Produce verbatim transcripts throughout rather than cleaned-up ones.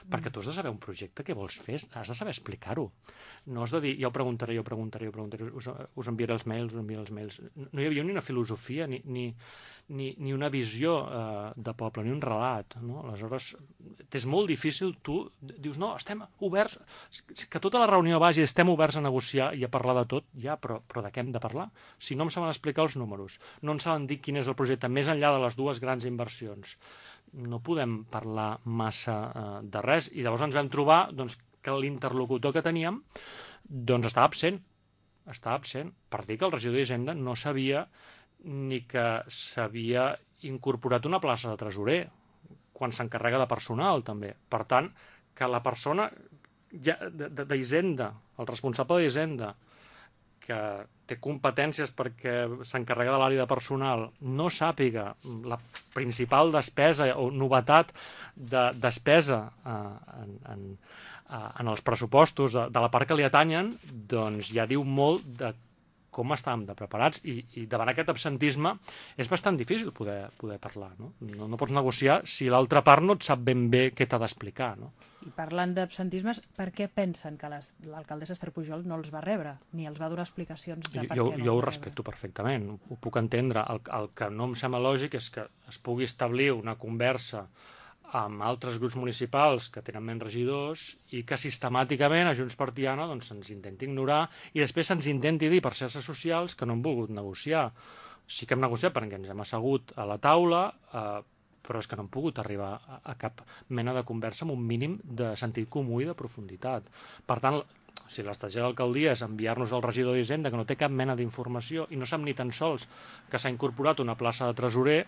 perquè tu has de saber un projecte que vols fer, has de saber explicar-ho. No has de dir, jo ho preguntaré, jo ho preguntaré, jo ho preguntaré, us, us enviaré els mails, us enviaré els mails. No hi havia ni una filosofia, ni, ni, ni, ni una visió eh, de poble, ni un relat. No? Aleshores, és molt difícil, tu dius, no, estem oberts, que tota la reunió vagi, estem oberts a negociar i a parlar de tot, ja, però, però de què hem de parlar? Si no em saben explicar els números, no em saben dir quin és el projecte, més enllà de les dues grans inversions, no podem parlar massa eh, de res, i llavors ens vam trobar doncs, que l'interlocutor que teníem doncs estava absent, estava absent, per dir que el regidor d'Hisenda no sabia ni que s'havia incorporat una plaça de tresorer, quan s'encarrega de personal, també. Per tant, que la persona d'Hisenda, el responsable d'Hisenda, que té competències perquè s'encarrega de l'àrea de personal, no sàpiga la principal despesa o novetat de despesa eh, en, en, en els pressupostos de, de la part que li atanyen, doncs ja diu molt de com estàvem de preparats, i, i davant aquest absentisme és bastant difícil poder, poder parlar. No? No, no pots negociar si l'altra part no et sap ben bé què t'ha d'explicar. No? I parlant d'absentismes, per què pensen que l'alcaldessa Esther Pujol no els va rebre, ni els va donar explicacions de per jo, què no jo ho els va respecto rebre? perfectament, ho puc entendre. El, el que no em sembla lògic és que es pugui establir una conversa amb altres grups municipals que tenen menys regidors i que sistemàticament a Junts per Tiana doncs, se'ns intenti ignorar i després se'ns intenti dir per xarxes socials que no hem volgut negociar. Sí que hem negociat perquè ens hem assegut a la taula, eh, però és que no hem pogut arribar a, a cap mena de conversa amb un mínim de sentit comú i de profunditat. Per tant, si l'estratègia de l'alcaldia és enviar-nos al regidor d'Hisenda que no té cap mena d'informació i no sap ni tan sols que s'ha incorporat una plaça de tresorer,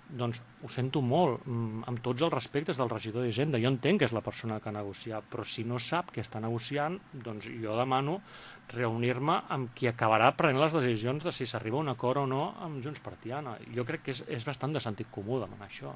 doncs ho sento molt, amb tots els respectes del regidor d'Hisenda. Jo entenc que és la persona que ha negociat, però si no sap què està negociant, doncs jo demano reunir-me amb qui acabarà prenent les decisions de si s'arriba a un acord o no amb Junts per Tiana. Jo crec que és, és bastant de sentit comú demanar això.